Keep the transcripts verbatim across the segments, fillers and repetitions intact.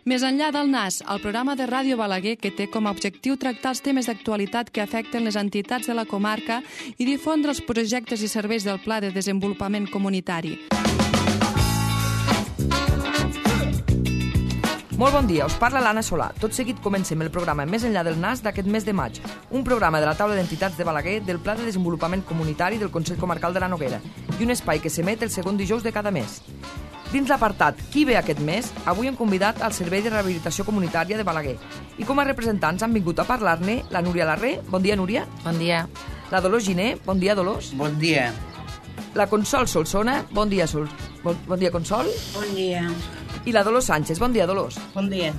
Més enllà del Nas, el programa de Ràdio Balaguer que té com a objectiu tractar els temes d'actualitat que afecten les entitats de la comarca i difondre els projectes i serveis del Pla de Desenvolupament Comunitari. Molt bon dia, us parla l'Anna Solà. Tot seguit comencem el programa Més enllà del Nas d'aquest mes de maig, un programa de la taula d'entitats de Balaguer del Pla de Desenvolupament Comunitari del Consell Comarcal de la Noguera i un espai que s'emet el segon dijous de cada mes. Dins l'apartat Qui ve aquest mes, avui hem convidat al Servei de Rehabilitació Comunitària de Balaguer i com a representants han vingut a parlar-ne la Núria Larré. Bon dia, Núria. Bon dia. La Dolors Giner. Bon dia, Dolors. Bon dia. La Consol Solsona. Bon dia, Sol. Bon, bon dia, Consol. Bon dia. I la Dolors Sánchez. Bon dia, Dolors. Bon dia.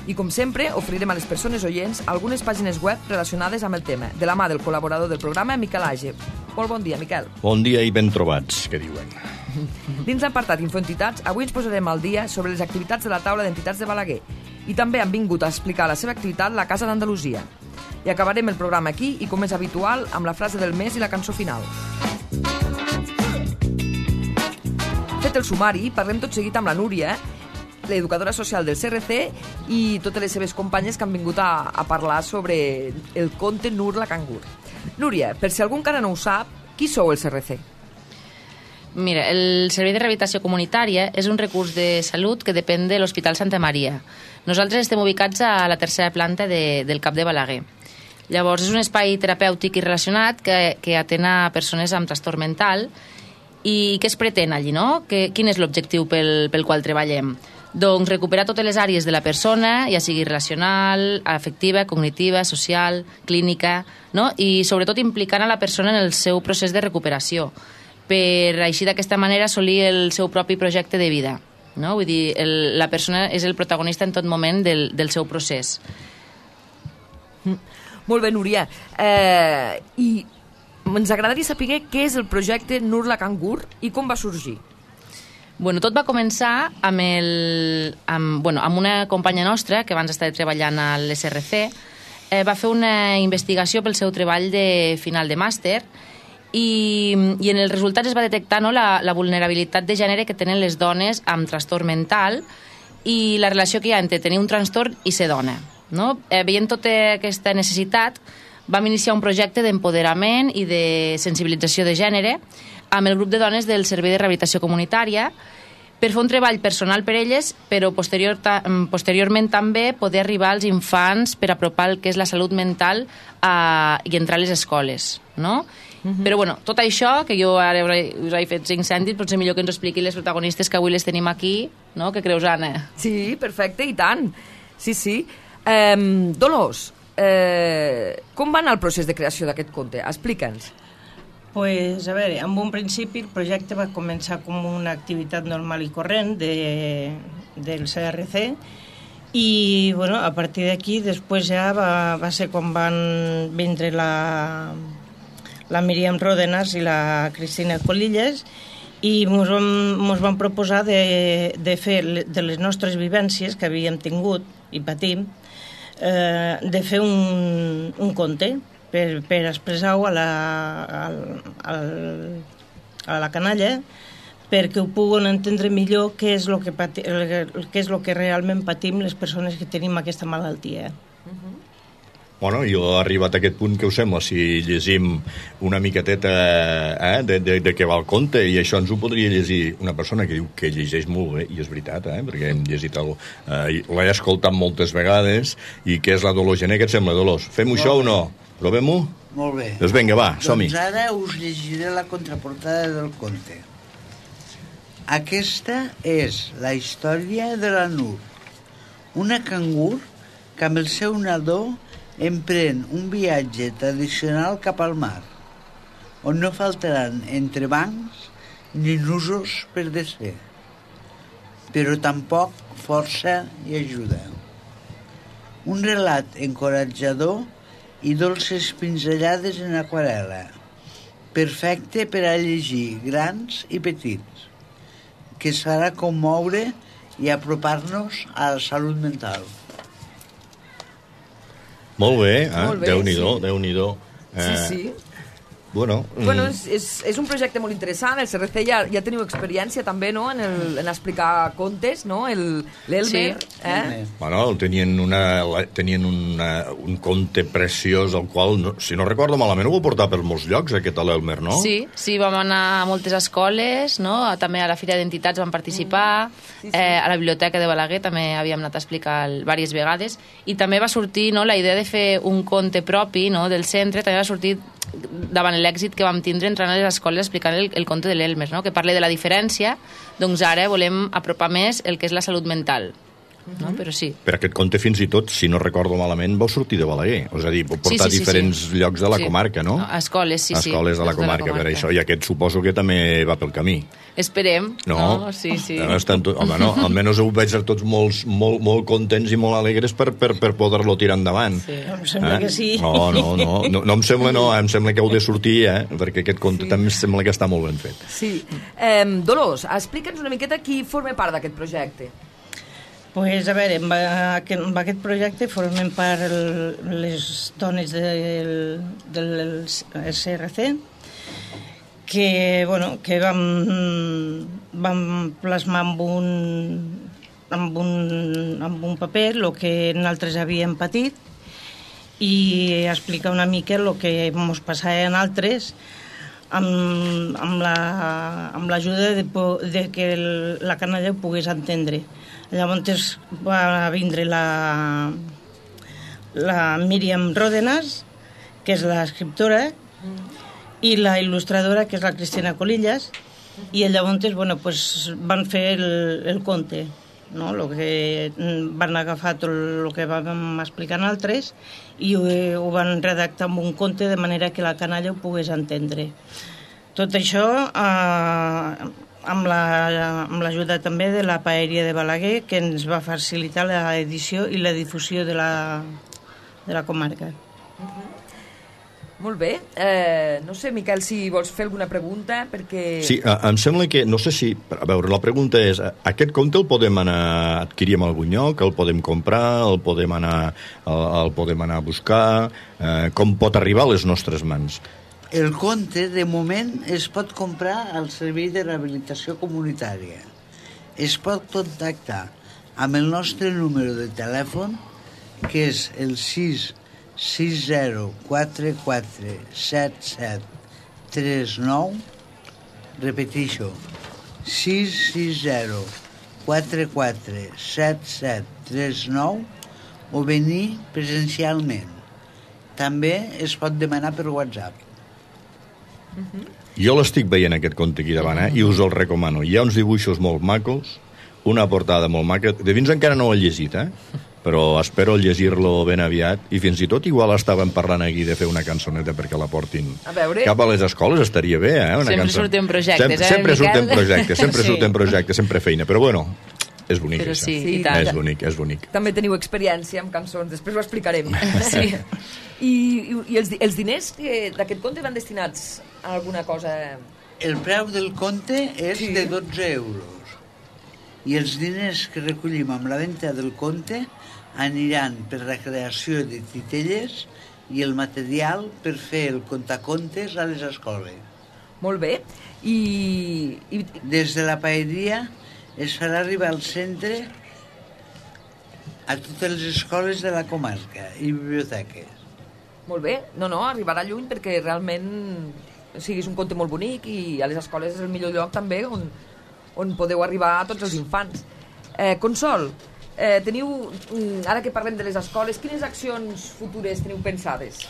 I com sempre, oferirem a les persones oients algunes pàgines web relacionades amb el tema, de la mà del col·laborador del programa, Miquel Age. Molt bon dia, Miquel. Bon dia i ben trobats, que diuen. Dins l'apartat Infoentitats, avui ens posarem al dia sobre les activitats de la taula d'entitats de Balaguer i també han vingut a explicar la seva activitat la Casa d'Andalusia. I acabarem el programa aquí i, com és habitual, amb la frase del mes i la cançó final. Fet el sumari, parlem tot seguit amb la Núria, l'educadora social del C R C, i totes les seves companyes que han vingut a, a parlar sobre el conte Nur la cangur. Núria, per si algú encara no ho sap, qui sou el C R C? Mira, el Servei de Rehabilitació Comunitària és un recurs de salut que depèn de l'Hospital Santa Maria. Nosaltres estem ubicats a la tercera planta de, del CAP de Balaguer. Llavors, és un espai terapèutic i relacionat que, que atén a persones amb trastorn mental. I què es pretén allí, no? Que, quin és l'objectiu pel, pel qual treballem? Doncs recuperar totes les àrees de la persona, ja sigui relacional, afectiva, cognitiva, social, clínica, no? I sobretot implicant a la persona en el seu procés de recuperació, per així d'aquesta manera assolir el seu propi projecte de vida, no? Vull dir, el, la persona és el protagonista en tot moment del, del seu procés. Molt bé, Núria. Eh, I ens agradaria saber què és el projecte Nur la cangur i com va sorgir. Bueno, tot va començar amb, el, amb, bueno, amb una companya nostra que abans estava treballant a l'S R C, eh, va fer una investigació pel seu treball de final de màster i, i en els resultats es va detectar, no, la, la vulnerabilitat de gènere que tenen les dones amb trastorn mental i la relació que hi ha entre tenir un trastorn i ser dona. No? Eh, veient tota aquesta necessitat, vam iniciar un projecte d'empoderament i de sensibilització de gènere amb el grup de dones del Servei de Rehabilitació Comunitària per fer un treball personal per elles, però posterior ta, posteriorment també poder arribar als infants per apropar el que és la salut mental a, i entrar a les escoles, no? Uh-huh. Però bueno, tot això, que jo ara us he fet cinc cèntims, potser millor que ens ho expliqui les protagonistes que avui les tenim aquí, no? Què creus, Anna? Sí, perfecte, i tant. Sí, sí. Eh, Dolors, eh, com va anar el procés de creació d'aquest conte? Explica'ns. Pues, a veure, en un principi el projecte va començar com una activitat normal i corrent de, del C R C i, bueno, a partir d'aquí després ja va, va ser quan van vindre la, la Míriam Ródenas i la Cristina Colilles i ens van, ens van proposar de, de fer de les nostres vivències que havíem tingut i patim, eh, de fer un, un conte per, per expressar-ho a la, a, a la canalla perquè ho puguen entendre millor què és el que, pati, què és el que realment patim les persones que tenim aquesta malaltia. Uh-huh. Bueno, jo he arribat a aquest punt, que us sembla si llegim una miqueteta eh, de, de, de què va el conte, i això ens ho podria llegir una persona que diu que llegeix molt bé, i és veritat, eh, perquè hem llegit el, eh, l'he escoltat moltes vegades, i que és la Dolors Gené. Què et sembla, Dolors? Fem-ho això o no? Provem-ho? Molt bé. Doncs vinga, va, som-hi. Doncs ara us llegiré la contraportada del conte. Aquesta és la història de la Nur, una cangur que amb el seu nadó emprèn un viatge tradicional cap al mar, on no faltaran entrebancs ni nusos per desfer, però tampoc força i ajuda. Un relat encoratjador i dolces pinzellades en aquarel·la, perfecte per a llegir grans i petits, que es farà commoure i apropar-nos a la salut mental. Molt bé, eh? Molt bé, Déu-n'hi-do, sí. Déu-n'hi-do. Eh, Sí, sí. bueno... Bueno, és, és, és un projecte molt interessant, el C R C ja, ja teniu experiència també, no?, en, el, en explicar contes, no?, l'Elmer, Sí. eh? Bueno, tenien, una, tenien una, un conte preciós, el qual, no, si no recordo malament, ho va portar per molts llocs, aquest a l'Elmer, no? Sí, sí, vam anar a moltes escoles, no? També a la Fira d'Entitats vam participar, mm. sí, sí. Eh, a la Biblioteca de Balaguer també havíem anat a explicar diverses vegades, i també va sortir, no?, la idea de fer un conte propi, no?, del centre, també va sortir davant l'èxit que vam tindre entrant a les escoles explicant el, el conte de l'Elmer, no?, que parla de la diferència, doncs ara volem apropar més el que és la salut mental. No? Però sí. Per aquest conte, fins i tot, si no recordo malament, vau sortir de Balaguer. És a dir, vau portar sí, sí, sí, diferents sí. llocs de la sí. comarca, no? A escoles, sí, sí. Escoles de la comarca, de la comarca, per això. I aquest suposo que també va pel camí. Esperem. No? no? Sí, sí. No, estan tot, home, no, almenys ho veig tots molt, molt, molt contents i molt alegres per, per, per poder-lo tirar endavant. Sí. Em sembla eh? que sí. No, no, no, no, no em sembla, no, em sembla que heu de sortir, eh? Perquè aquest conte sí. també em sembla que està molt ben fet. Sí. Eh, Dolors, explica'ns una miqueta qui forma part d'aquest projecte. Pues, a veure, amb aquest, amb aquest projecte formen part el, les dones del, del C R C, que, bueno, que vam, vam plasmar amb un, amb, un, amb un paper el que nosaltres havíem patit i explicar una mica el que ens passava en altres amb, amb l'ajuda la, de, de que el, la canalla ho pogués entendre. Llavors va vindre la, la Míriam Ródenas, que és l'escriptora, i la il·lustradora, que és la Cristina Colillas, i llavors bueno, pues, van fer el, el conte, no? Lo que van agafar tot el que vam explicar nosaltres i ho, ho van redactar amb un conte de manera que la canalla ho pogués entendre. Tot això eh, amb l'ajuda la, també de la Paeria de Balaguer, que ens va facilitar l'edició i la difusió de la, de la comarca. Uh-huh. Molt bé. Eh, no sé, Miquel, si vols fer alguna pregunta, perquè... Sí, em sembla que, no sé si... A veure, la pregunta és, aquest conte el podem anar a adquirir en algun lloc, el podem comprar, el podem anar, el, el podem anar a buscar, eh, com pot arribar a les nostres mans? El conte, de moment, es pot comprar al Servei de Rehabilitació Comunitària. Es pot contactar amb el nostre número de telèfon, que és el sis sis zero quatre quatre set set tres nou. Repeteixo, sis sis zero quatre quatre set set tres nou, o venir presencialment. També es pot demanar per WhatsApp. Uh-huh. Jo l'estic veient aquest conte aquí davant, eh? I us el recomano. Hi ha uns dibuixos molt macos, una portada molt maca. De fins encara no ho he llegit, eh? Però espero llegir-lo ben aviat, i fins i tot igual estàvem parlant aquí de fer una cançoneta perquè la portin a veure. Cap a les escoles, estaria bé, eh? Una sempre cançó... surten projectes, sempre, eh, sempre Miquel? surten projectes, sempre sí. surten projectes, sempre feina, però bueno, és bonic, però això. sí, sí, i tant. És bonic, és bonic. També teniu experiència amb cançons, després ho explicarem. Sí. I, i, i els, els diners d'aquest conte van destinats a alguna cosa? El preu del conte és sí. de dotze euros. I els diners que recollim amb la venda del conte aniran per la creació de titelles i el material per fer el contacontes a les escoles. Molt bé. I, i... Des de la paeria es farà arribar al centre a totes les escoles de la comarca i biblioteques. Molt bé. No, no, arribarà lluny perquè realment o sigui, és un conte molt bonic i a les escoles és el millor lloc també on, on podeu arribar a tots els infants. Eh, Consol, eh, teniu, ara que parlem de les escoles, quines accions futures teniu pensades?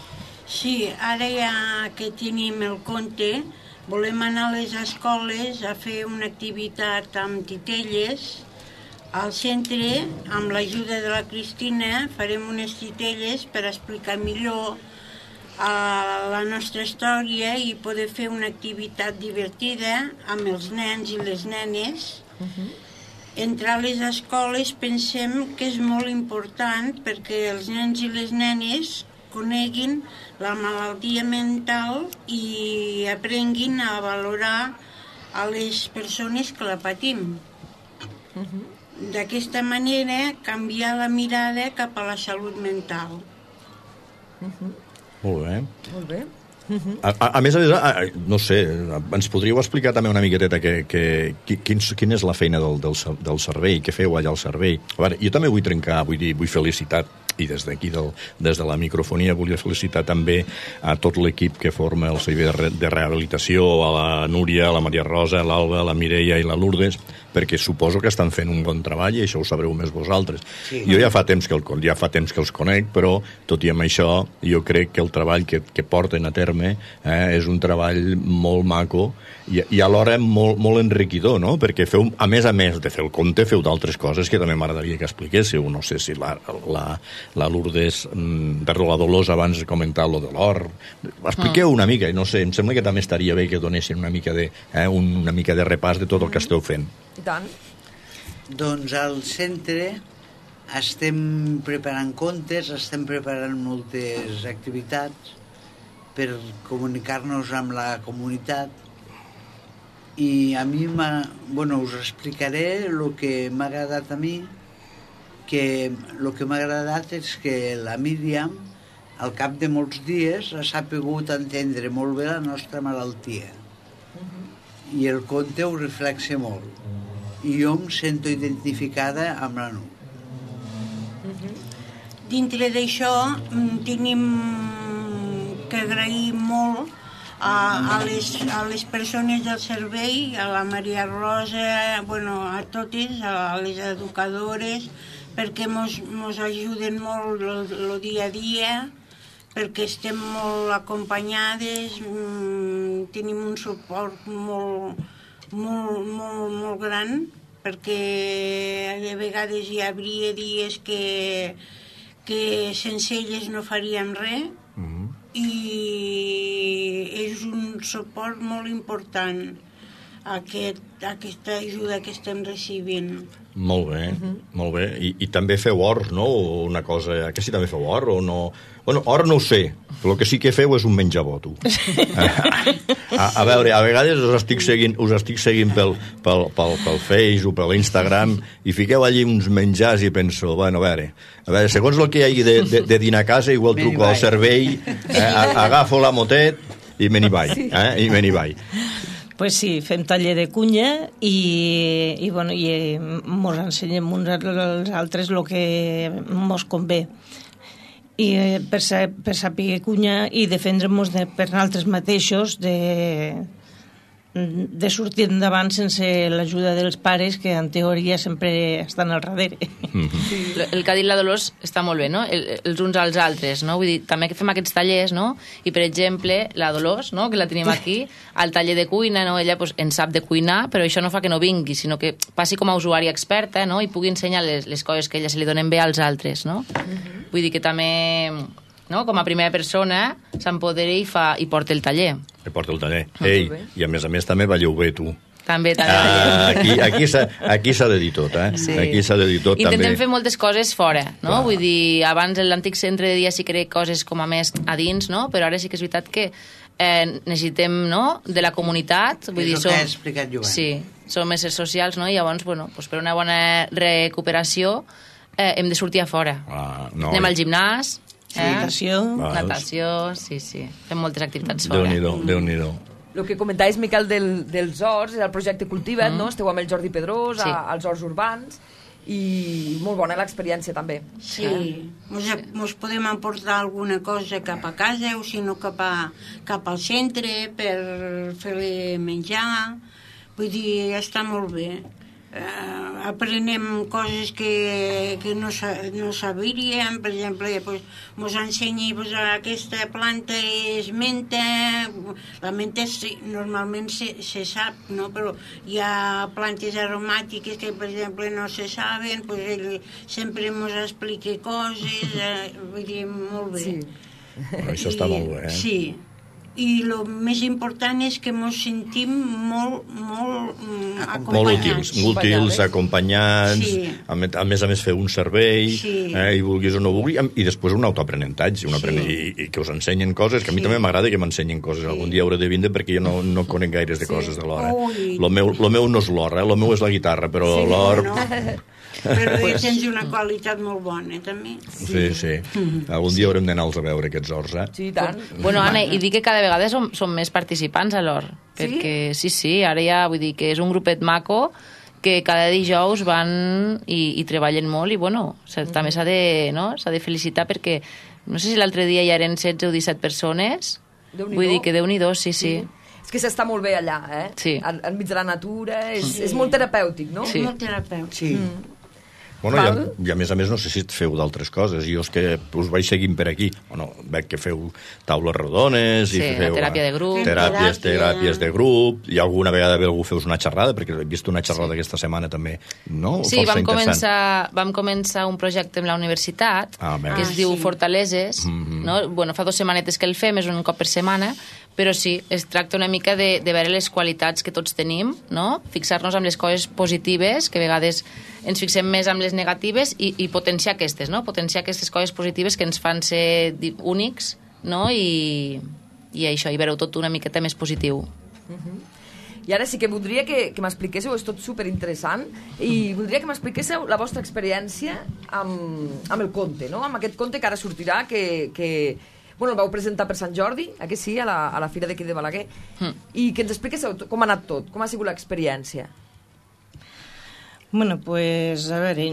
Sí, ara ja que tenim el conte, volem anar a les escoles a fer una activitat amb titelles. Al centre, amb l'ajuda de la Cristina, farem unes titelles per explicar millor a la nostra història i poder fer una activitat divertida amb els nens i les nenes. Uh-huh. Entrar a les escoles pensem que és molt important perquè els nens i les nenes coneguin la malaltia mental i aprenguin a valorar a les persones que la patim. Uh-huh. D'aquesta manera, canviar la mirada cap a la salut mental. Uh-huh. Molt bé. Molt bé. A, a, a més a més, a, no sé, ens podríeu explicar també una miqueteta que, que, quin, quina és la feina del, del, del servei, què feu allà al servei. A veure, jo també vull trencar, vull dir, vull felicitar, i des d'aquí, des de la microfonia, volia felicitar també a tot l'equip que forma el servei de, de rehabilitació, a la Núria, a la Maria Rosa, a l'Alba, a la Mireia i la Lourdes, perquè suposo que estan fent un bon treball i això ho sabreu més vosaltres. Sí. Jo ja fa temps que el, ja fa temps que els conec, però tot i amb això jo crec que el treball que, que porten a terme eh, és un treball molt maco i, i alhora molt, molt enriquidor, no? Perquè feu, a més a més de fer el compte, feu d'altres coses que també m'agradaria que expliquéssiu. No sé si la, la, la Lourdes, perdó, la Dolors abans de comentar lo de l'or. Expliqueu una mica, no sé, em sembla que també estaria bé que donessin una mica de, eh, una mica de repàs de tot el que esteu fent. I tant. Doncs al centre estem preparant contes, estem preparant moltes activitats per comunicar-nos amb la comunitat i a mi, bueno, us explicaré el que m'ha agradat a mi, que el que m'ha agradat és que la Míriam, al cap de molts dies, ha sapigut entendre molt bé la nostra malaltia. Uh-huh. I el conte ho reflexa molt. I jo em sento identificada amb la Nur. Uh-huh. Dintre d'això tenim que agrair molt a, a, les, a les persones del servei, a la Maria Rosa, bueno, a totes, a les educadores, perquè mos, mos ajuden molt el dia a dia, perquè estem molt acompanyades, mmm, tenim un suport molt, molt, molt, molt gran, perquè de vegades hi hauria dies que, que sense elles no faríem res, mm-hmm. i és un suport molt important aquest, aquesta ajuda que estem recibint. Molt bé, uh-huh. molt bé. I, I també feu or, no? Una cosa... Que si també feu or o no? Bueno, or no ho sé, però el que sí que feu és un menjaboto. a, a veure, a vegades us estic seguint, us estic seguint pel, pel, pel, pel Facebook, per l'Instagram, i fiqueu allí uns menjars i penso, bueno, a veure, a veure, segons el que hi hagi de, de, de dinar a casa, igual truco al servei, eh, agafo la motet i me n'hi vaig, eh, i me n'hi vaig. Pues sí, fem taller de cunya i, i, bueno, i mos ensenyem uns als altres el que mos convé. I per, per saber cunya i defendre-nos de, per nosaltres mateixos de, de sortir endavant sense l'ajuda dels pares, que en teoria sempre estan al darrere. Mm-hmm. Sí. El que ha dit la Dolors està molt bé, no? El, els uns als altres, no? Vull dir, també que fem aquests tallers, no? I, per exemple, la Dolors, no? Que la tenim aquí, al taller de cuina, no? Ella pues, en sap de cuinar, però això no fa que no vingui, sinó que passi com a usuària experta, no? I pugui ensenyar les, les coses que ella se li donen bé als altres, no? Mm-hmm. Vull dir que també... No? Com a primera persona s'empodera i, fa, i porta el taller. I porta el taller. Ei, i a més a més també balleu bé, tu. També, també. Ah, aquí aquí s'ha aquí s'ha de dir tot, eh? Sí. Aquí s'ha de dir tot, Intentem també. Intentem fer moltes coses fora, no? Clar. Vull dir, abans l'antic centre de dia sí que era coses com a més a dins, no? Però ara sí que és veritat que eh, necessitem, no?, de la comunitat. Vull és dir, el som... que ha explicat Joan. Sí, som éssers socials, no? I llavors, bueno, pues per una bona recuperació eh, hem de sortir a fora. Ah, no, Anem al gimnàs... Eh? Natació. Natació, sí, sí. Fem moltes activitats fora. Déu-n'hi-do, Déu-n'hi-do. El que comentaves, Miquel, del, dels horts, el projecte Cultiva't, mm. no? Esteu amb el Jordi Pedrós, sí. a, als horts urbans, i molt bona l'experiència, també. Sí, mos, mos podem aportar alguna cosa cap a casa, o si no cap, a, cap al centre, per fer-li menjar. Vull dir, està molt bé. Uh, aprenem coses que, que no, sa, no sabíem, per exemple, pues, mos ensenya pues, aquesta planta és menta, la menta sí, normalment se, se sap, no? Però hi ha plantes aromàtiques que, per exemple, no se saben, pues, ell sempre mos explica coses, uh, vull dir, molt bé. Sí. Però això està molt bé, eh? Sí. I el més important és que ens sentim molt, molt mm, acompanyats. Molt útils, molt útils, acompanyats, sí. a, a més a més fer un servei, sí. eh, i vulguis o no vulguis, i després un autoaprenentatge, un sí. i, i que us ensenyen coses, que a mi sí. també m'agrada que m'ensenyin coses. Sí. Algun dia hauré de vindre perquè jo no, no conec gaires de sí. coses de l'hora. Lo meu, lo meu no és l'or, eh? Lo meu és la guitarra, però sí, l'or... No. Però pues... tens una qualitat molt bona, també. Sí, sí. sí. Algun dia haurem d'anar-los a veure, aquests horts, eh? Sí, tant. Bueno, Anna, i dic que cada cada vegada som, som més participants a l'Hort. Sí? Perquè sí, sí, ara ja vull dir que és un grupet maco que cada dijous van i, i treballen molt i, bueno, mm. també s'ha de, no? s'ha de felicitar perquè no sé si l'altre dia ja eren setze o disset persones. Vull dir que Déu-n'hi-do, sí, sí. Mm. És que s'està molt bé allà, eh? Sí. En, enmig de la natura, és, sí. és molt terapèutic, no? Sí. Molt terapèutic. Sí. Mm. Bueno, i a, i a més a més no sé si feu d'altres coses. Jo és que us vaig seguint per aquí. Bueno, veig que feu taules rodones sí, i feu teràpia de grup. teràpies, Teràpia. teràpies de grup, i alguna vegada algú feus una xerrada, perquè he vist una xerrada sí. aquesta setmana també, no? Sí, vam començar, vam començar un projecte amb la universitat ah, que ah, es diu sí. Fortaleses, mm-hmm. no? Bueno, fa dues setmanetes que el fem, és un cop per setmana, però sí, es tracta una mica de, de veure les qualitats que tots tenim, no? Fixar-nos amb les coses positives, que a vegades ens fixem més amb les negatives, i, i potenciar aquestes, no? Potenciar aquestes coses positives que ens fan ser únics, no? I, i això, i veure-ho tot una miqueta més positiu. Uh-huh. I ara sí que voldria que, que m'expliquéssiu, és tot superinteressant, i voldria que m'expliquéssiu la vostra experiència amb, amb el conte, no? Amb aquest conte que ara sortirà, que... que bueno, el vau presentar per Sant Jordi, aquí sí, a la, a la fira d'aquí de Balaguer, mm. i que ens expliquéssiu com ha anat tot, com ha sigut l'experiència. Bueno, pues, a veure,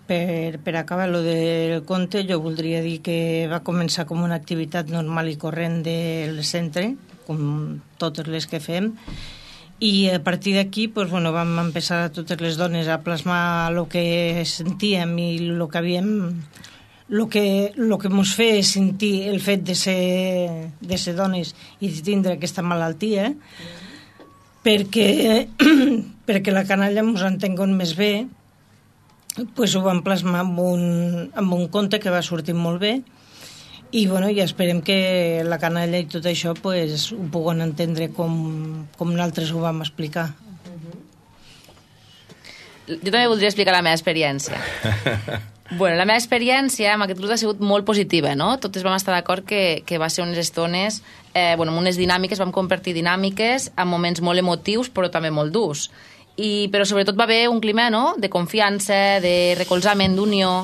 per, per acabar lo del conte, jo voldria dir que va començar com una activitat normal i corrent del centre, com totes les que fem, i a partir d'aquí, pues, bueno, vam empezar totes les dones a plasmar el que sentíem i el que havíem... el que, lo que ens feia sentir el fet de ser, de ser dones i de tindre aquesta malaltia, perquè, perquè la canalla ens entenguin més bé, pues ho vam plasmar amb un, amb un conte que va sortir molt bé, i bueno, ja esperem que la canalla i tot això pues, ho puguen entendre com, com nosaltres ho vam explicar. Jo també voldria explicar la meva experiència. Bueno, la meva experiència amb aquest grup ha sigut molt positiva, no? Totes vam estar d'acord que, que va ser unes estones, eh, bueno, unes dinàmiques, vam compartir dinàmiques amb moments molt emotius, però també molt durs. I, però sobretot va haver un clima, no?, de confiança, de recolzament, d'unió.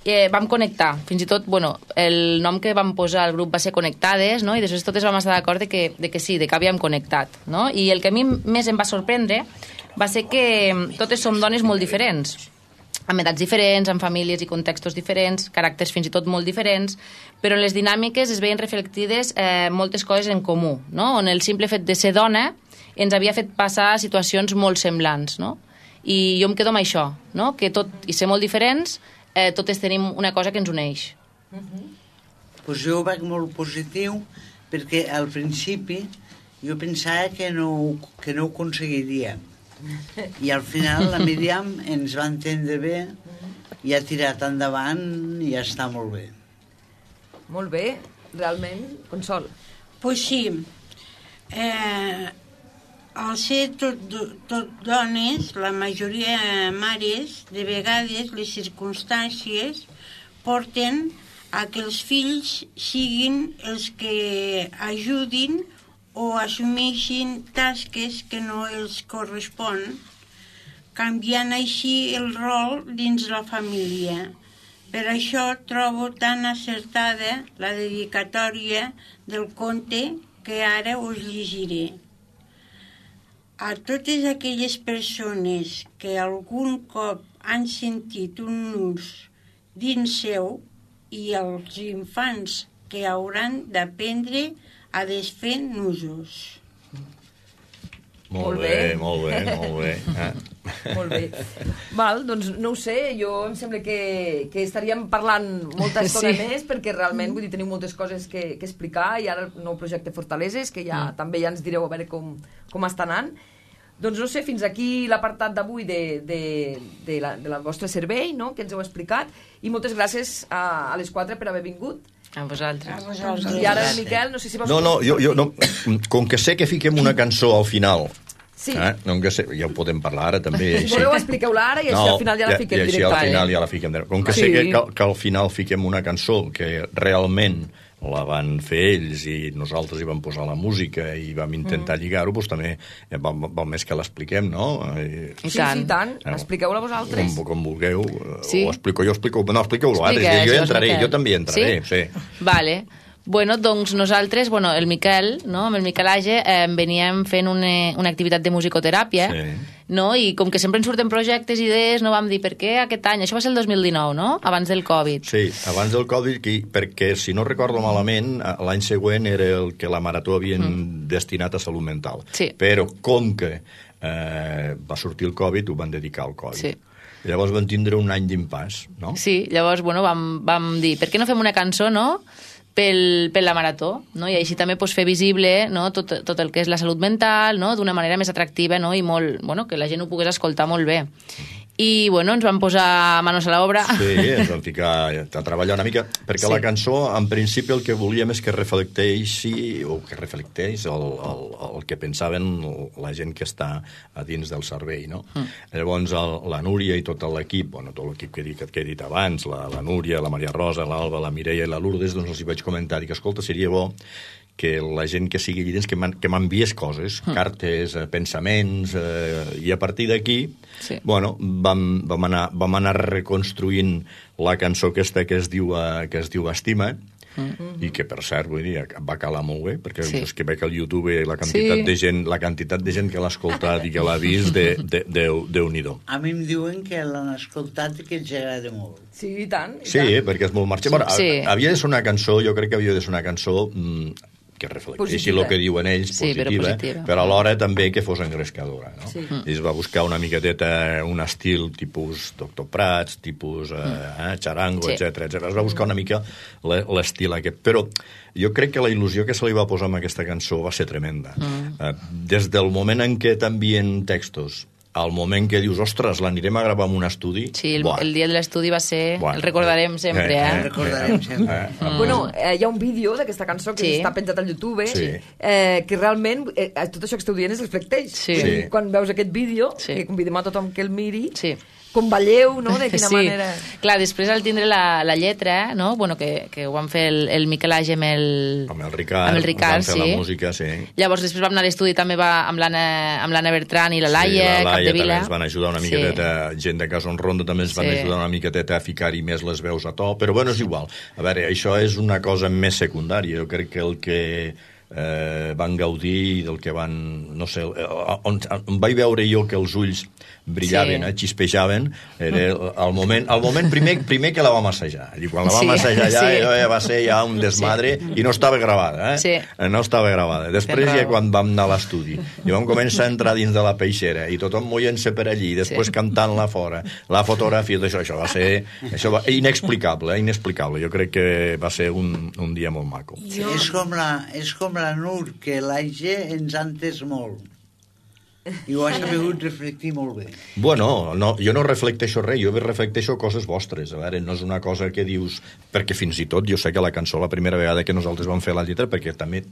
Eh, vam connectar. Fins i tot, bueno, el nom que vam posar al grup va ser Connectades, no?, i després totes vam estar d'acord de que, de que sí, de que havíem connectat, no? I el que a mi més em va sorprendre va ser que totes som dones molt diferents, amb edats diferents, amb famílies i contextos diferents, caràcters fins i tot molt diferents, però en les dinàmiques es veien reflectides eh, moltes coses en comú, no? On el simple fet de ser dona ens havia fet passar situacions molt semblants, no? I jo em quedo amb això, no? Que tot i ser molt diferents, eh, totes tenim una cosa que ens uneix. Uh-huh. Pues jo ho veig molt positiu, perquè al principi jo pensava que no, que no ho aconseguiríem. I al final la Míriam ens va entendre bé i ha tirat endavant i ja està molt bé. Molt bé, realment, Consol. Pues sí, eh, al ser tot, tot dones, la majoria mares, de vegades les circumstàncies porten a que els fills siguin els que ajudin o assumeixin tasques que no els correspon, canviant així el rol dins la família. Per això trobo tan acertada la dedicatòria del conte que ara us llegiré. A totes aquelles persones que algun cop han sentit un nus dins seu i als infants que hauran d'aprendre a desfer nusos. Molt bé, molt bé, molt bé. Eh? Molt bé. Val, doncs no ho sé, jo em sembla que, que estaríem parlant molta estona sí. més, perquè realment, vull dir, teniu moltes coses que, que explicar, i ara el nou projecte Fortaleses, que ja mm. també ja ens direu a veure com, com està anant. Doncs no sé, fins aquí l'apartat d'avui de, de, de, la, de la vostre servei, no?, que ens heu explicat, i moltes gràcies a, a les quatre per haver vingut. A vosaltres. A vosaltres. I ara, Miquel, no sé si vols... No, no, jo, jo no, com que sé que fiquem una cançó al final, sí. eh, no, que sé, ja ho podem parlar ara també. Si voleu, expliqueu-la ara i així no, al final ja la fiquem i així directament. al final ja la fiquem. Com que sí. sé que, que, que al final fiquem una cançó que realment la van fer ells i nosaltres hi vam posar la música i vam intentar mm. lligar-ho, doncs també val, val més que l'expliquem, no? I, sí, sí, i tant. No. Expliqueu-la vosaltres. Com, com vulgueu. Sí. O explico jo, explico... No, expliqueu-lo ara. Jo entraré, jo també entraré. Sí? Sí. Vale. Bueno, doncs nosaltres, bueno, el Miquel, no? Amb el Miquel Age eh, veníem fent una, una activitat de musicoteràpia, sí. No? I com que sempre ens surten projectes, idees, no vam dir per què aquest any, això va ser el dos mil dinou, no? Abans del Covid. Sí, abans del Covid, perquè si no recordo malament, l'any següent era el que la Marató havien mm. destinat a salut mental. Sí. Però com que eh, va sortir el Covid, ho van dedicar al Covid. Sí. Llavors van tindre un any d'impàs, no? Sí, llavors, bueno, vam, vam dir, per què no fem una cançó, no?, pel, per la Marató, no? I així també pues, fer visible, no? tot, tot el que és la salut mental, no? D'una manera més atractiva, no? I molt, bueno, que la gent ho pogués escoltar molt bé. I, bueno, ens vam posar manos a l'obra. Sí, ens vam ficar a treballar una mica, perquè sí. La cançó, en principi, el que volíem és que reflecteixi, o que reflecteix el, el, el que pensaven la gent que està a dins del servei, no? Mm. Llavors, el, la Núria i tot l'equip, bueno, tot l'equip que, que, que he dit abans, la, la Núria, la Maria Rosa, l'Alba, la Mireia i la Lourdes, doncs els hi vaig comentar, dic, escolta, seria bo que la gent que sigui allà dins que m'enviés coses, mm. cartes, eh, pensaments, eh, i a partir d'aquí, sí. bueno, vam, vam, anar, vam anar reconstruint la cançó aquesta que es diu, eh, que es diu Estima, mm. i que, per cert, vull dir, va calar molt bé, perquè sí. és que veig al YouTube la quantitat, sí. de gent, la quantitat de gent que l'ha escoltat i que l'ha vist, de, de, de, Déu-n'hi-do. A mi em diuen que l'han escoltat i que els agrada molt. Sí, i tant. I sí, tant. perquè és molt marxat. Sí. Bueno, sí. Havia de ser una cançó, jo crec que havia de ser una cançó mmm, que reflecteixi el que diuen ells, sí, positiva, però, positiva, però alhora també que fos engrescadora. No? Sí. I es va buscar una miqueteta, un estil tipus Doctor Prats, tipus eh, eh, Charango, sí. etcètera, etcètera. Es va buscar una mica l'estil aquest. Però jo crec que la il·lusió que se li va posar amb aquesta cançó va ser tremenda. Mm. Eh, des del moment en què t'envien textos, al moment que dius, ostres, l'anirem a gravar en un estudi... Sí, el, el dia de l'estudi va ser... Buah. El recordarem sempre, eh? eh? El recordarem sempre. Eh, eh, mm. Bueno, eh, hi ha un vídeo d'aquesta cançó que sí. està penjat al YouTube, sí. eh, que realment eh, tot això que esteu dient es reflecteix. Sí. Sí. Quan veus aquest vídeo, sí. que convidem a tothom que el miri, sí. com balleu, no?, de quina sí. manera... Clar, després al tindre la, la lletra, no?, bueno, que, que ho van fer el, el Miquel Age amb el... Amb el Ricard, amb el Ricard, van fer sí. la música, sí. Llavors després vam anar a l'estudi també va amb l'Anna Bertran i la Laia, sí, la Laia Capdevila. També ens van ajudar una miqueteta, sí. gent de Casa on Ronda també ens van sí. ajudar una miqueteta a ficar-hi més les veus a to, però bueno, és igual. A veure, això és una cosa més secundària, jo crec que el que... Eh, van gaudir del que van, no sé, on, on vaig veure jo que els ulls brillaven, sí. eh, xispejaven, era el moment, el moment primer, primer que la vam assajar. I quan la vam sí. assajar ja, sí. ja va ser ja un desmadre sí. i no estava gravada, eh? Sí. No estava gravada. Després ja quan vam anar a l'estudi i vam començar a entrar dins de la peixera i tothom moient-se per allí, després sí. cantant-la fora, la fotografia, això, això va ser això va, inexplicable, eh, inexplicable. Jo crec que va ser un, un dia molt maco. Jo... És com la, és com la Nur, que l'Aige ens ha entès molt. I ho has sabut reflectir molt bé. Bueno, no, jo no reflecteixo res, jo reflecteixo coses vostres. A veure, no és una cosa que dius... Perquè fins i tot jo sé que la cançó, la primera vegada que nosaltres vam fer la lletra, perquè també...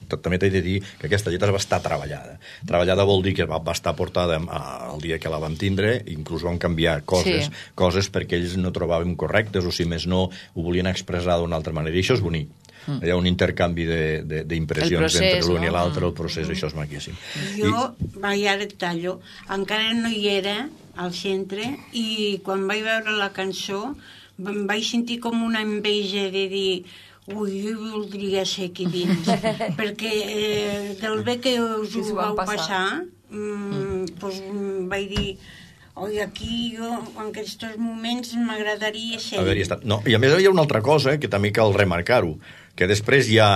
també t'he de dir que aquesta lletra va estar treballada. Treballada vol dir que va, va estar portada el dia que la vam tindre, inclús vam canviar coses, sí. coses perquè ells no trobàvem correctes, o si més no, ho volien expressar d'una altra manera. I això és bonic. Mm. Hi ha un intercanvi d'impressions entre l'un no? i l'altre, el procés, mm. això és maquíssim. Jo, I... vaig ara tallo, encara no hi era al centre, i quan vaig veure la cançó em vaig sentir com una enveja de dir ui, jo voldria ser aquí dins, perquè eh, del bé que us ho vau passar, passar mm, pues, vaig dir oi, aquí jo, en aquests moments m'agradaria ser. A veure, no, i a més hi ha una altra cosa que també cal remarcar-ho, que després hi ha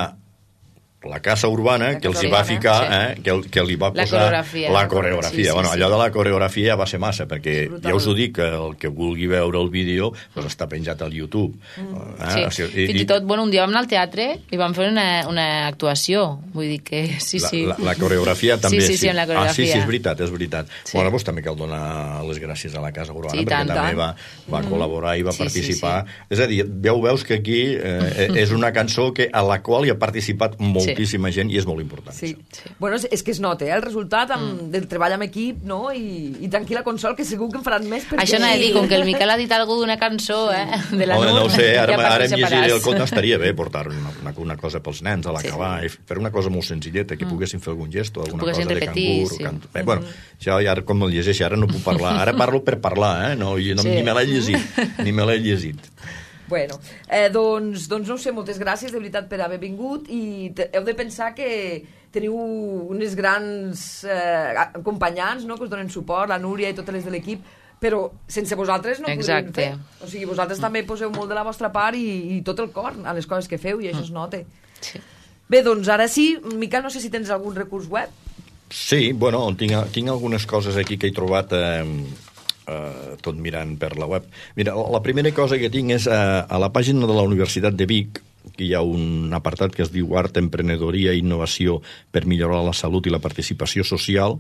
la Casa Urbana, que els hi va ficar, sí. eh, que, que li va la posar coreografia. la coreografia. Sí, sí, bueno, sí. allò de la coreografia va ser massa, perquè ja us ho dic, que el que vulgui veure el vídeo pues, està penjat al YouTube. Mm. Eh? Sí. O sigui, Fins i tot, bueno, un dia vam anar al teatre i vam fer una, una actuació. Vull dir que sí, sí. La, la, la coreografia també, sí. Sí, sí, sí, la coreografia. Ah, sí, sí, és veritat, és veritat. Sí. Bueno, doncs també cal donar les gràcies a la Casa Urbana, sí, perquè tant, també tant. va, va mm. col·laborar i va sí, participar. Sí, sí. És a dir, ja ho veus que aquí eh, és una cançó que, a la qual hi ha participat moltíssima sí. gent i és molt important. Sí. sí. Bueno, és, és que es nota, eh, el resultat amb, mm. del treball amb equip, no? I, i tranquil·la Consol, que segur que en faran més. Perquè... Això no he dit, com que el Miquel ha dit alguna d'una cançó, eh, de la Home, Nur, no ho sé, ara, ja ara em llegiré el conte, estaria bé portar una, una, una cosa pels nens a l'acabar, sí. fer una cosa molt senzilleta, que mm. poguessin fer algun gest o alguna cosa repetir, de cangur. Sí. Can... Bé, bueno, això ja com el llegeixi, ara no puc parlar, ara parlo per parlar, eh? No, no, sí. Ni me l'he llegit, ni me l'he llegit. Bueno, eh, doncs, doncs no ho sé, moltes gràcies de veritat per haver vingut i te, heu de pensar que teniu unes grans eh, acompanyants, no?, que us donen suport, la Núria i totes les de l'equip, però sense vosaltres no ho podríem fer. O sigui, vosaltres mm. també poseu molt de la vostra part i, i tot el cor a les coses que feu i això mm. es nota. Sí. Bé, doncs ara sí, Miquel, no sé si tens algun recurs web. Sí, bueno, tinc, tinc algunes coses aquí que he trobat eh, eh, tot mirant per la web. Mira, la primera cosa que tinc és eh, a la pàgina de la Universitat de Vic, que hi ha un apartat que es diu Art, Emprenedoria i Innovació per millorar la salut i la participació social,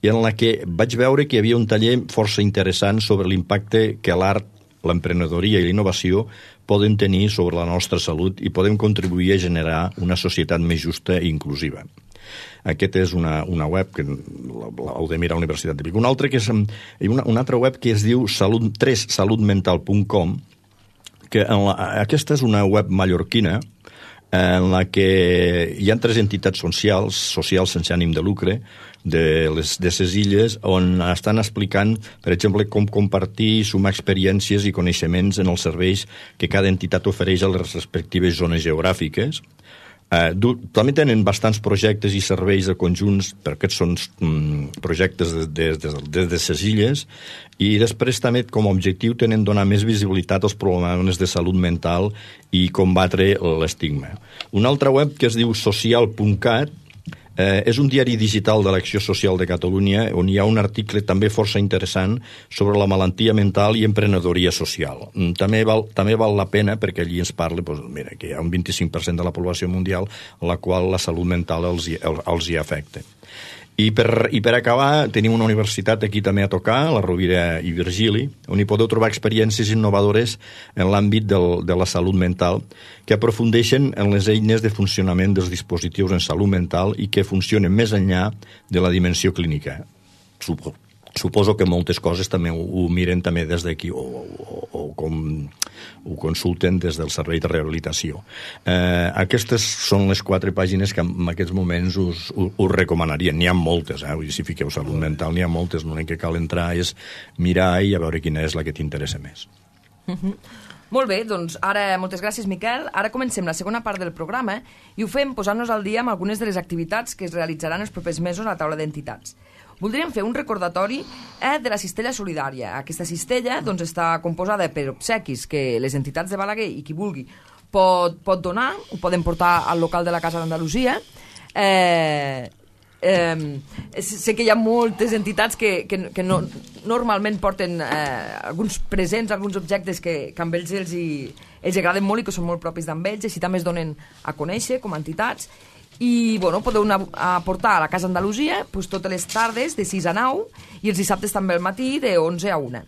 i en la que vaig veure que hi havia un taller força interessant sobre l'impacte que l'art, l'emprenedoria i la innovació poden tenir sobre la nostra salut i podem contribuir a generar una societat més justa i inclusiva. Aquesta és una, una web que heu de mirar a la Universitat de Vic. Una altra, que és, una, una altra web que es diu salut, tres salut mental punt com, que en la, aquesta és una web mallorquina en la que hi ha tres entitats socials, socials sense ànim de lucre, de les de ses illes, on estan explicant, per exemple, com compartir, sumar experiències i coneixements en els serveis que cada entitat ofereix a les respectives zones geogràfiques. Uh, també tenen bastants projectes i serveis de conjunts, perquè són um, projectes des de, de, de ses illes, i després també com a objectiu tenen donar més visibilitat als problemes de salut mental i combatre l'estigma. Una altra web que es diu social punt cat eh, és un diari digital de l'Acció Social de Catalunya on hi ha un article també força interessant sobre la malaltia mental i emprenedoria social. També val, també val la pena perquè allí ens parla doncs, mira, que hi ha un vint-i-cinc per cent de la població mundial a la qual la salut mental els hi, els hi afecta. I per, I per acabar, tenim una universitat aquí també a tocar, la Rovira i Virgili, on hi podeu trobar experiències innovadores en l'àmbit del, de la salut mental, que aprofundeixen en les eines de funcionament dels dispositius en salut mental i que funcionen més enllà de la dimensió clínica. Suposo, suposo que moltes coses també ho, ho miren també des d'aquí o, o, o com ho consulten des del servei de rehabilitació. Eh, aquestes són les quatre pàgines que en aquests moments us, us, us recomanaria. N'hi ha moltes, eh? Vull dir, si fiqueu salut mental, n'hi ha moltes. L'únic que cal entrar és mirar i a veure quina és la que t'interessa més. Mm-hmm. Molt bé, doncs ara moltes gràcies, Miquel. Ara comencem la segona part del programa i ho fem posant-nos al dia amb algunes de les activitats que es realitzaran els propers mesos a la taula d'entitats. Voldríem fer un recordatori eh, de la cistella solidària. Aquesta cistella doncs, està composada per obsequis que les entitats de Balaguer i qui vulgui pot, pot donar, ho poden portar al local de la Casa d'Andalusia. Eh, eh, sé que hi ha moltes entitats que, que, que no, normalment porten eh, alguns presents, alguns objectes que, que amb ells els, hi, els agraden molt i que són molt propis d'amb ells, i així també es donen a conèixer com a entitats. I bueno, podeu anar a portar a la Casa Andalusia doncs, totes les tardes de sis a nou i els dissabtes també al matí de onze a una.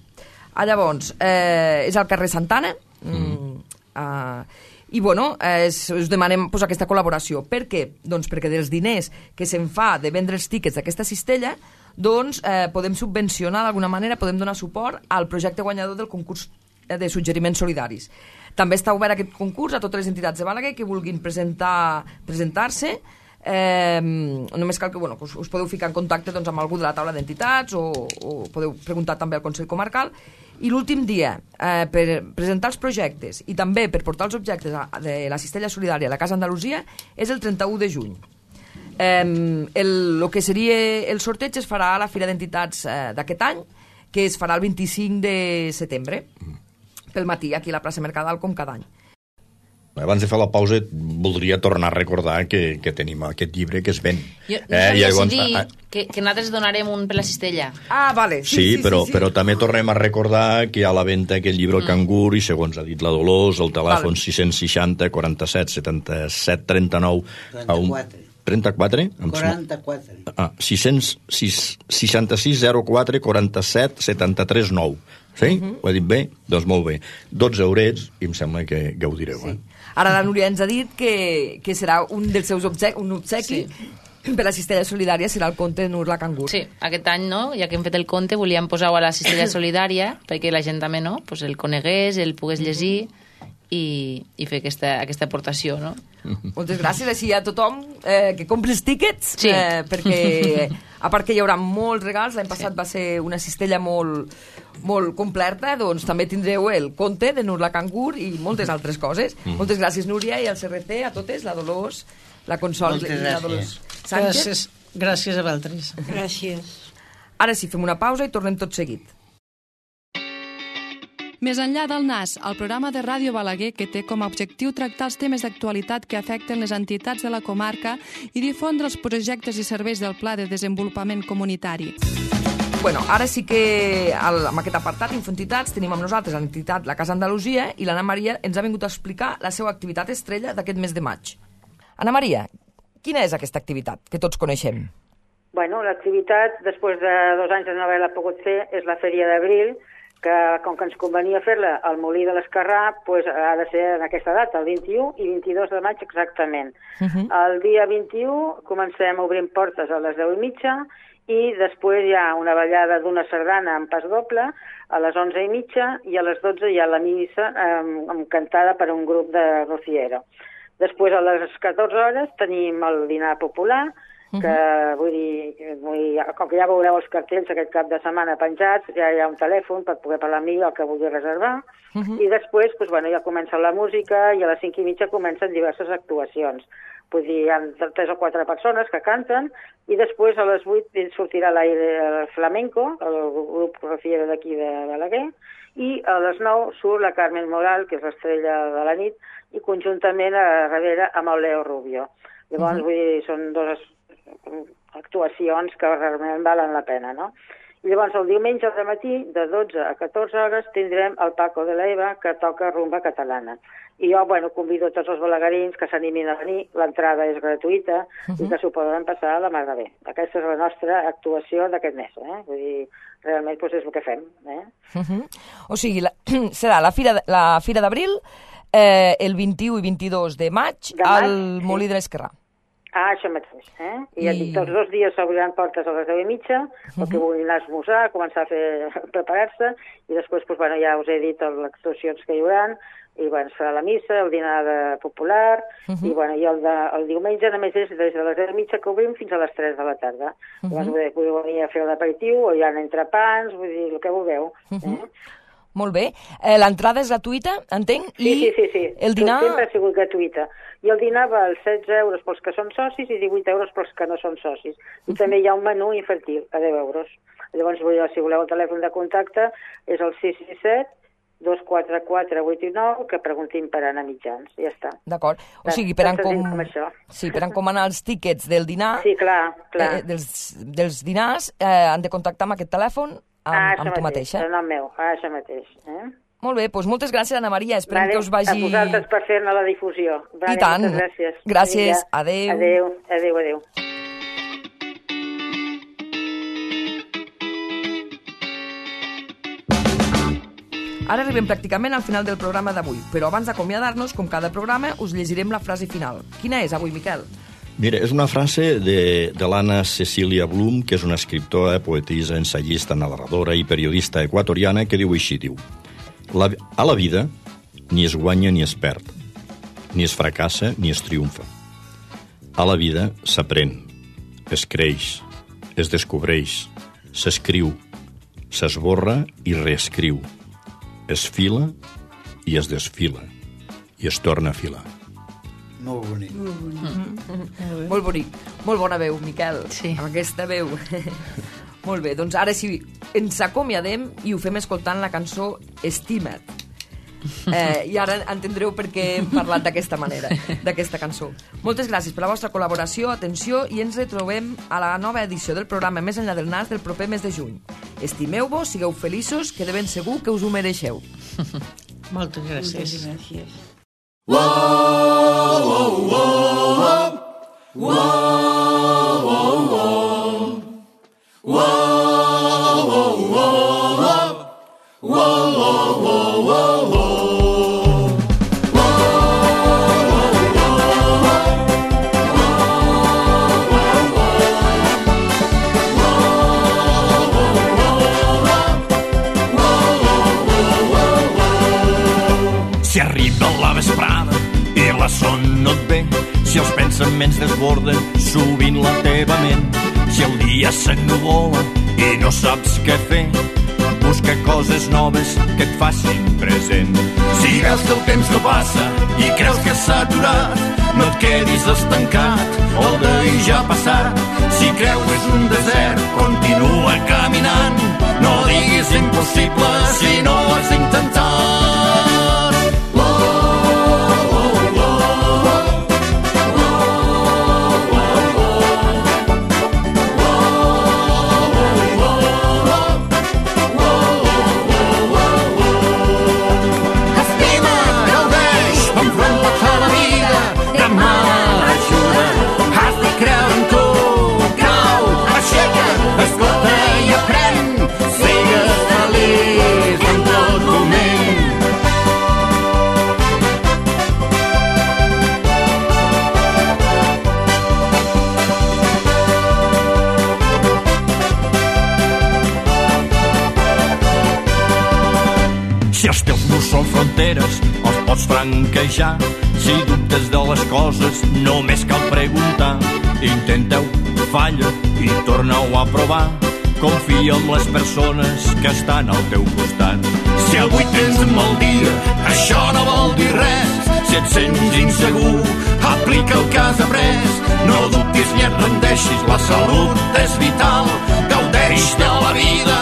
Ah, llavors, eh, és al carrer Santana mm. eh, i bueno, eh, us demanem pues, aquesta col·laboració. Per què? Doncs perquè dels diners que se'n fa de vendre els tíquets d'aquesta cistella doncs eh, podem subvencionar d'alguna manera, podem donar suport al projecte guanyador del concurs de suggeriments solidaris. També està obert aquest concurs a totes les entitats de Balaguer que vulguin presentar, presentar-se. Eh, només cal que, bueno, que us, us podeu ficar en contacte doncs, amb algú de la taula d'entitats o, o podeu preguntar també al Consell Comarcal. I l'últim dia eh, per presentar els projectes i també per portar els objectes de la cistella solidària a la Casa Andalusia és el trenta-u de juny. Eh, el, el que seria el sorteig es farà a la Fira d'Entitats eh, d'aquest any, que es farà el vint-i-cinc de setembre pel matí, aquí a la plaça Mercadal, com cada any. Abans de fer la pausa, voldria tornar a recordar que, que tenim aquest llibre que es ven. Jo no eh, sabia si dir que, que nosaltres donarem un per la cistella. Ah, vale. Sí, sí, sí, però, sí, sí. però també tornem a recordar que hi ha a la venda aquest llibre El mm. cangur i, segons ha dit la Dolors, el telèfon vale. sis seixanta, quaranta-set, setanta-set, trenta-nou... trenta-quatre. trenta-quatre? quaranta-quatre. Ah, sis cents, seixanta-sis, zero quatre, quaranta-set, setanta-tres, nou. Sí? Uh-huh. Ho he dit bé? Doncs molt bé. dotze eurets i em sembla que gaudireu. Sí. Eh? Ara la Núria ens ha dit que, que serà un dels seus obsequi, un obsequi sí. per la cistella solidària serà el conte de Nurla Cangur. Sí, aquest any, no? Ja que hem fet el conte, volíem posar-ho a la cistella solidària perquè la gent també, no? Pues el conegués, el pogués llegir i, i fer aquesta, aquesta aportació, no? Moltes gràcies així a tothom eh, que compri els tíquets, sí. eh, perquè a part que hi haurà molts regals, l'any passat sí. va ser una cistella molt, molt completa, doncs també tindreu el conte de Nur la Cangur i moltes altres coses. Mm. Moltes gràcies, Núria, i al C R C, a totes, la Dolors, la Consol i la Dolors Sánchez. Gràcies, gràcies a vosaltres. Gràcies. Ara sí, fem una pausa i tornem tot seguit. Més enllà del N A S, el programa de Ràdio Balaguer que té com a objectiu tractar els temes d'actualitat que afecten les entitats de la comarca i difondre els projectes i serveis del Pla de Desenvolupament Comunitari. Bueno, ara sí que al, amb aquest apartat Infoentitats tenim amb nosaltres l'entitat La Casa Andalusia i l'Anna Maria ens ha vingut a explicar la seva activitat estrella d'aquest mes de maig. Anna Maria, quina és aquesta activitat que tots coneixem? Bueno, l'activitat, després de dos anys de no haver-la pogut fer, és la Fèria d'Abril, que com que ens convenia fer-la al Molí de l'Esquerrà, pues, ha de ser en aquesta data, el vint-i-u i vint-i-dos de maig exactament. Uh -huh. El dia vint-i-u comencem obrint portes a les deu i mitja i després hi ha una ballada d'una sardana en pas doble a les onze i mitja i a les dotze hi ha la missa eh, cantada per un grup de rociero. Després a les catorze hores tenim el dinar popular, que vull dir, vull dir, com que ja veureu els cartells aquest cap de setmana penjats, ja hi ha un telèfon per poder parlar amb mi el que vulgui reservar, uh -huh. i després pues, bueno, ja comença la música i a les cinc i mitja comencen diverses actuacions. Vull dir, hi ha tres o quatre persones que canten i després a les vuit sortirà l'aire flamenco, el grup rociero d'aquí de Balaguer, i a les nou surt la Carmen Moral, que és l'estrella de la nit, i conjuntament a darrere amb el Leo Rubio. Llavors, uh -huh. vull dir, són dues actuacions que realment valen la pena, no? I llavors el diumenge de matí, de dotze a catorze hores, tindrem el Paco de la Eva, que toca rumba catalana. I jo, bueno, convido tots els balaguerins que s'animin a venir, l'entrada és gratuïta, uh -huh. i que s'ho poden passar a la mar de bé. Aquesta és la nostra actuació d'aquest mes, eh? Vull dir, realment doncs, és el que fem, eh? Uh -huh. O sigui, la, serà la Fira, la Fira d'Abril eh, el vint-i-u i vint-i-dos de maig, de maig al sí. Molí de l'Esquerrà. Ah, això mateix, eh? I, I... dic, tots dos dies s'obriran portes a les deu i mitja, uh-huh. que vulguin anar a esmorzar, començar a fer, a preparar-se, i després, doncs, bueno, ja us he dit les actuacions que hi haurà, i, bueno, es farà la missa, el dinar de popular, uh-huh. i, bueno, i el, de, el diumenge només és des de les deu i mitja que obrim fins a les tres de la tarda. Uh-huh. Llavors, podeu venir a fer l'aperitiu, o hi ha entrepans, vull dir, el que vulgueu, uh-huh. eh? Molt bé. Eh, l'entrada és gratuïta, entenc? Sí, I sí, sí, sí. El dinar... Sempre ha sigut gratuïta. I el dinar val setze euros pels que són socis i divuit euros pels que no són socis. I uh-huh. també hi ha un menú infantil a deu euros. Llavors, si voleu el telèfon de contacte, és el sis sis set, dos quatre quatre, vuit nou, que preguntin per anar mitjans. Ja està. D'acord. O sigui, per, encom... sí, per encomanar els tíquets del dinar, sí, clar, clar. Eh, dels, dels dinars, eh, han de contactar amb aquest telèfon amb, ah, amb tu mateixa. Ah, això meu, ah, això mateix. Eh? Molt bé, doncs moltes gràcies, Anna Maria. Esperem vale, que us vagi... A vosaltres per fer-ne la difusió. Vale, I tant. Moltes gràcies. Gràcies. Adéu. Adéu, adéu, adéu. Ara arribem pràcticament al final del programa d'avui, però abans d'acomiadar-nos, com cada programa, us llegirem la frase final. Quina és avui, Miquel? Mira, és una frase de, de l'Anna Cecília Blum, que és una escriptora, poetisa, ensayista, narradora i periodista equatoriana, que diu així, diu: la, a la vida ni es guanya ni es perd, ni es fracassa ni es triomfa. A la vida s'aprèn, es creix, es descobreix, s'escriu, s'esborra i reescriu, es fila i es desfila i es torna a filar. Molt bonic. Molt bonic. Mm. Molt bonic. Molt bona veu, Miquel. Sí. Amb aquesta veu. Molt bé, doncs ara sí, ens acomiadem i ho fem escoltant la cançó Estima't. Eh, I ara entendreu per què hem parlat d'aquesta manera, d'aquesta cançó. Moltes gràcies per la vostra col·laboració, atenció, i ens retrobem a la nova edició del programa Més enllà del Nas del proper mes de juny. Estimeu-vos, sigueu feliços, que de ben segur que us ho mereixeu. Moltes gràcies. Moltes gràcies. Whoa, whoa, whoa, whoa, whoa, whoa, whoa, whoa, whoa, whoa, whoa. Si arriba la vesprada i la son no et ve, si els pensaments desborden sovint la teva ment, si el dia s'ennuvola i no saps què fer, busca coses noves que et facin present. Si veus que el temps no passa i creus que s'ha aturat, no et quedis estancat, el d'ahir ja ha passat. Si creus un desert, continua caminant, no diguis impossible si no ho has intentat. Són fronteres, els pots franquejar. Si dubtes de les coses, només cal preguntar. Intenteu, falla i torna-ho a provar. Confia en les persones que estan al teu costat. Si avui tens un mal dia, això no vol dir res. Si et sents insegur, aplica el que has après. No dubtis ni et rendeixis, la salut és vital. Gaudeix de la vida,